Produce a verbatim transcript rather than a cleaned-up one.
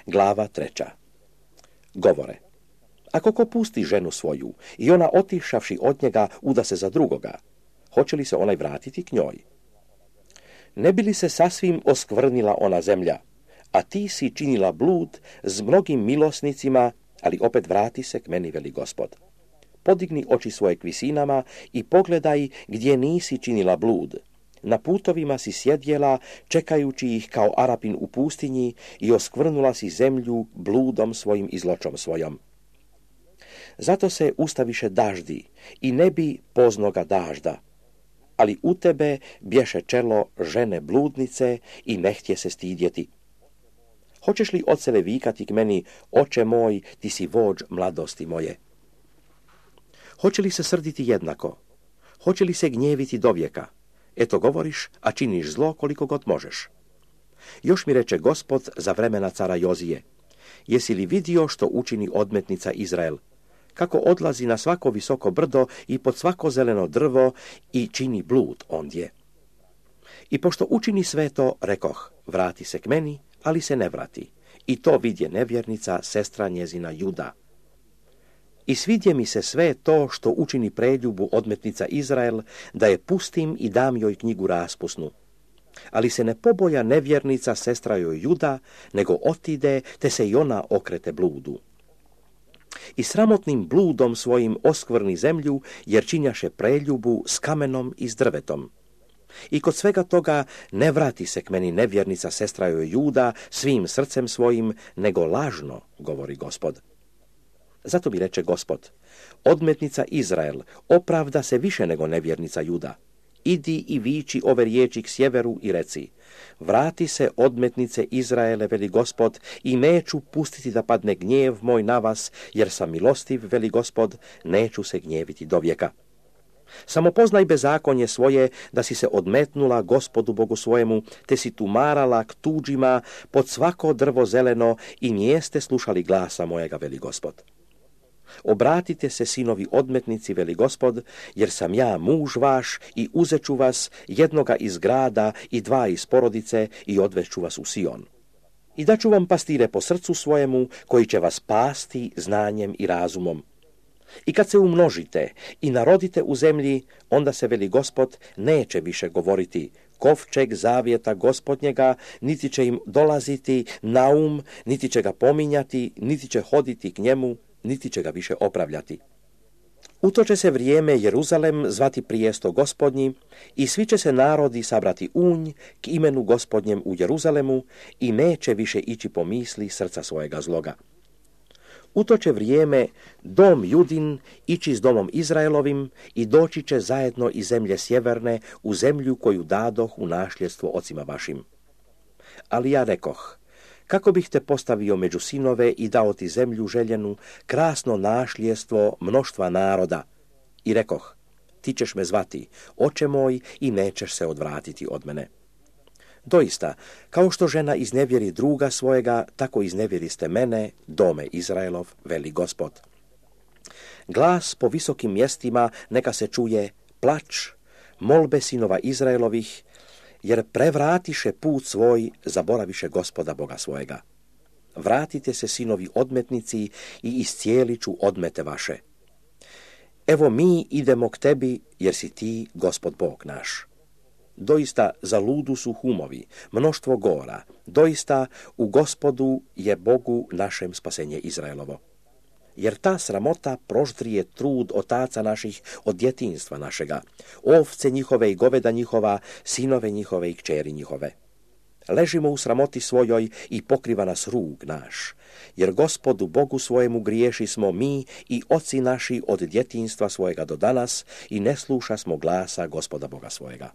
Glava treća. Govore. Ako ko pusti ženu svoju i ona otišavši od njega uda se za drugoga, hoće li se onaj vratiti k njoj? Ne bi li se sasvim oskvrnila ona zemlja, a ti si činila blud s mnogim milosnicima, ali opet vrati se k meni, veli Gospod. Podigni oči svoje k visinama i pogledaj gdje nisi činila blud. Na putovima si sjedjela, čekajući ih kao Arapin u pustinji, i oskvrnula si zemlju bludom svojim i zločom svojom. Zato se ustaviše daždi i ne bi poznoga dažda, ali u tebe bješe čelo žene bludnice i ne htje se stidjeti. Hoćeš li odsele vikati k meni, oče moj, ti si vođ mladosti moje? Hoće li se srditi jednako? Hoće li se gnjeviti dovijeka? Eto govoriš, a činiš zlo koliko god možeš. Još mi reče Gospod za vremena cara Jozije: jesi li vidio što učini odmetnica Izrael? Kako odlazi na svako visoko brdo i pod svako zeleno drvo i čini blud ondje. I pošto učini sve to, rekoh, vrati se k meni, ali se ne vrati. I to vidje nevjernica, sestra njezina Juda. I svidje mi se sve to što učini preljubu odmetnica Izrael, da je pustim i dam joj knjigu raspusnu. Ali se ne poboja nevjernica, sestra joj Juda, nego otide, te se i ona okrete bludu. I sramotnim bludom svojim oskvrni zemlju, jer činjaše preljubu s kamenom i s drvetom. I kod svega toga ne vrati se k meni nevjernica, sestra joj Juda, svim srcem svojim, nego lažno, govori Gospod. Zato mi reče Gospod: odmetnica Izrael opravda se više nego nevjernica Juda. Idi i viči ove riječi k sjeveru i reci: vrati se, odmetnice Izraele, veli Gospod, i neću pustiti da padne gnjev moj na vas, jer sam milostiv, veli Gospod, neću se gnjeviti do vijeka. Samo poznaj bezakonje svoje, da si se odmetnula Gospodu Bogu svojemu, te si tumarala k tuđima pod svako drvo zeleno i nijeste slušali glasa mojega, veli Gospod. Obratite se, sinovi odmetnici, veli Gospod, jer sam ja muž vaš i uzeću vas, jednoga iz grada i dva iz porodice, i odveću vas u Sion. I daću vam pastire po srcu svojemu, koji će vas pasti znanjem i razumom. I kad se umnožite i narodite u zemlji, onda se, veli Gospod, neće više govoriti: kovčeg zavjeta Gospodnjega, niti će im dolaziti na um, niti će ga pominjati, niti će hoditi k njemu, niti će ga više opravljati. U to će se vrijeme Jeruzalem zvati prijesto Gospodnji, i svi će se narodi sabrati unj k imenu Gospodnjem u Jeruzalemu, i neće više ići po misli srca svojega zloga. U to će vrijeme dom Judin ići s domom Izraelovim i doći će zajedno iz zemlje sjeverne u zemlju koju dadoh u nasljedstvo ocima vašim. Ali ja rekoh: kako bih te postavio među sinove i dao ti zemlju željenu, krasno nasljedstvo mnoštva naroda. I rekoh: ti ćeš me zvati, oče moj, i nećeš se odvratiti od mene. Doista, kao što žena iznevjeri druga svojega, tako iznevjeriste mene, dome Izraelov, veli Gospod. Glas po visokim mjestima neka se čuje plač, molbe sinova Izraelovih, jer prevratiše put svoj, zaboraviše Gospoda Boga svojega. Vratite se, sinovi odmetnici, i iscijelit ću odmete vaše. Evo mi idemo k tebi, jer si ti Gospod Bog naš. Doista za ludu su humovi, mnoštvo gora, doista u Gospodu je Bogu našem spasenje Izraelovo. Jer ta sramota proždrije trud otaca naših od djetinjstva našega, ovce njihove i goveda njihova, sinove njihove i kćeri njihove. Ležimo u sramoti svojoj i pokriva nas rug naš, jer Gospodu Bogu svojemu griješi smo mi i oci naši od djetinjstva svojega do danas, i ne sluša smo glasa Gospoda Boga svojega.